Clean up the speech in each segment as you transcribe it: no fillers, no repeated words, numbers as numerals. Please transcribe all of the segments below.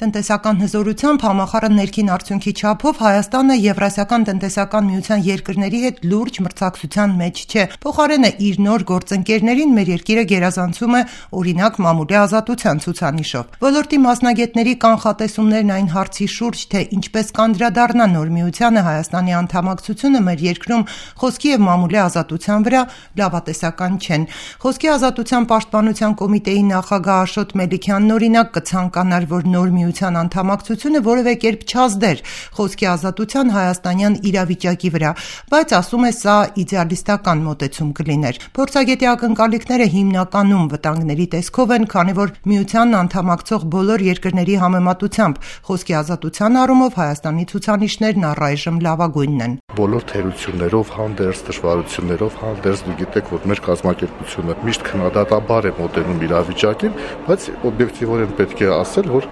Տնտեսական հզորությամբ համախառն ներքին արդյունքի չափով Հայաստանը Եվրասիական տնտեսական միության երկրների հետ լուրջ մրցակցության մեջ չէ։ Փոխարենը իր նոր գործընկերներին մեր երկիրը գերազանցում է օրինակ մամուլի ազատության ցուցանիշով։ Ոլորտի մասնագետների կանխատեսումներն այն հարցի շուրջ, թե ինչպես կանդրադառնա նոր միությանը Հայաստանի անդամակցությունը մեր երկրում խոսքի եւ մամուլի ազատության վրա, լավատեսական չեն։ Խոսքի ազատության պաշտպանության կոմիտեի նախագահ Աշոտ Մելիքյանն օրինակ կցանկանար, որ նոր միության անդամակցությունը որևէ կերպ չազդեր խոսքի ազատության հայաստանյան իրավիճակի վրա, բայց ասում է սա իդեալիստական մոտեցում կլիներ։ Փորձագետի ակնկալիքները հիմնականում վտանգների տեսքով են, քանի որ միությանն անդամակցող բոլոր երկրների համեմատությամբ խոսքի ազատության առումով Հայաստանի ցուցանիշներն առայժմ լավագույնն են։ Բոլոր թերություններով հանդերձ, դժվարություններով հանդերձ դու գիտեք, որ մեր կազմակերպությունը միշտ քննադատաբար է մոտենում իրավիճակին, բայց օբյեկտիվորեն պետք է ասել, որ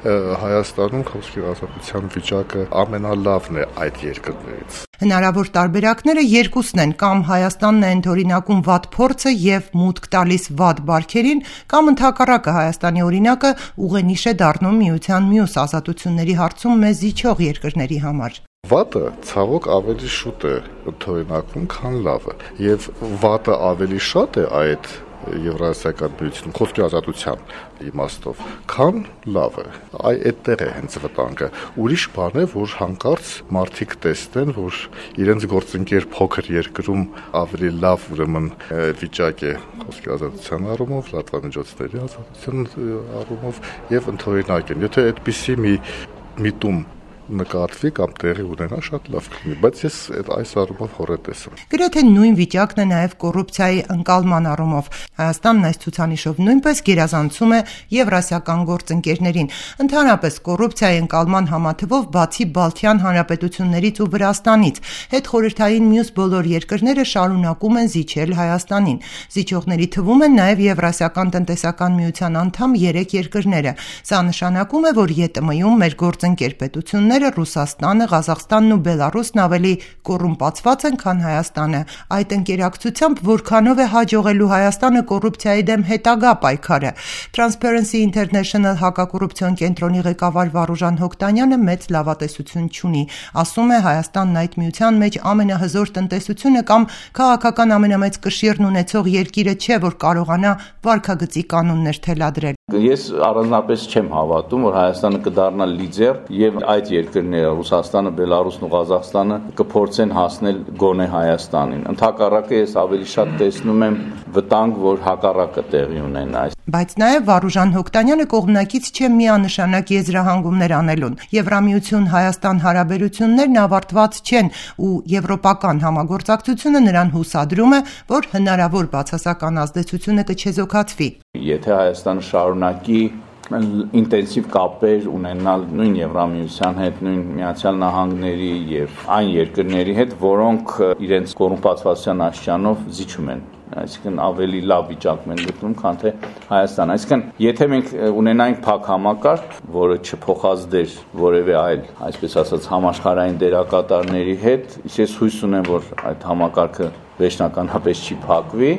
Հայաստանում խոսքի ազատության վիճակը ամենալավն է այդ երկրներից։ Հնարավոր տարբերակները երկուսն են, կամ Հայաստանն է ընդօրինակում վատ փորձը եւ մուտք տալիս վատ բարքերին, կամ ընդհակառակը Հայաստանի օրինակը ուղենիշ է դառնում միության մյուս ազատությունների հարցում մեզ զիջող երկրների համար։ Վատը ցավոք ավելի շուտ է ընդօրինակվում, քան լավը, եւ վատը ավելի շատ է այդ Եվրասիական միությունում խոսքի ազատության իմաստով, քան լավը։ Այդտեղ է հենց վտանգը։ Ուրիշ բան է, որ հանկարծ մարդիկ տեսնեն, որ իրենց գործընկեր փոքր երկրում ավելի լավ ուրեմն վիճակ է խոսքի ազատության առումով, լրատվամիջոցների ազատության առումով եւ ընդօրինակ են։ Եթե այդպիսի մի միտում նկատվի կամ տեղի ունենա, շատ լավ կլինի, բայց ես այս առումով հորետես եմ։ Գրեթե նույն վիճակն է նաև կոռուպցիայի ընկալման առումով։ Հայաստանն այս ցուցանիշով նույնպես գերազանցում է եվրասիական գործընկերներին։ Ընդհանրապես կոռուպցիայի ընկալման համաթվով բացի Բալթյան հանրապետություններից ու Վրաստանից, հետխորհրդային մյուս բոլոր երկրները շարունակում են զիջել Հայաստանին։ Զիջողների թվում են նաև Եվրասիական տնտեսական միության անդամ 3 երկրները։ Սա նշանակում է, որ ԵՏՄ-ում մեր գործընկեր պետությունները Ռուսաստանը, Ղազախստանն ու Բելարուսն ավելի կոռումպացված են, քան Հայաստանը։ Այդ ընկերակցությամբ որքանով է հաջողելու Հայաստանը կոռուպցիայի դեմ հետագա պայքարը։ Transparency International հակակոռուպցիոն կենտրոնի ղեկավար Վարուժան Հոկտանյանը մեծ լավատեսություն չունի։ Ասում է Հայաստանն այդ միության մեջ ամենահզոր տնտեսությունը կամ քաղաքական ամենամեծ կշիռն ունեցող երկիրը չէ, որ կարողանա վարքագծի կանոններ թելադրել։ Ես առանձնապես չեմ հավատում, որ Հայաստանը կդառնա լիդեր եւ այդ երկրները Ռուսաստանը, Բելարուսն ու Ղազախստանը կփորձեն հասնել գոնե Հայաստանին։ Ընդհակառակը ես ավելի շատ տեսնում եմ վտանգ, որ հակառակը տեղի ունենա։ Բայց նաև Վարուժան Հոկտանյանը կողմնակից չէ միանշանակ եզրահանգումներ անելուն։ Եվրամիություն-Հայաստան հարաբերություններն ավարտված չեն ու եվրոպական համագործակցությունը նրան հուսադրում է, որ հնարավոր բացասական ազդեցությունը կչեզոքացվի։ Եթե Հայաստանը շարունակի ինտենսիվ կապեր ունենալ նույն Եվրամիության հետ, նույն Միացյալ Նահանգների եւ այն երկրների հետ, որոնք իրենց կոռումպացվածության աշճանով զիջում են, այսինքն ավելի լավ վիճակում են գտնում, քան թե Հայաստանը։ Այսինքն, եթե մենք ունենայինք փակ համակարգ, որը չփոխազդեր որևէ այլ, այսպես ասած, համաշխարհային դերակատարների հետ, ես հույս ունեմ, որ այդ համակարգը վերջնականապես չի փակվի,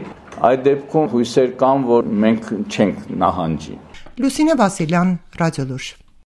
այդ դեպքում հույսեր կան, որ մենք չենք նահանջի։ Լուսինե Վասիլյան, Ռադիոլուր։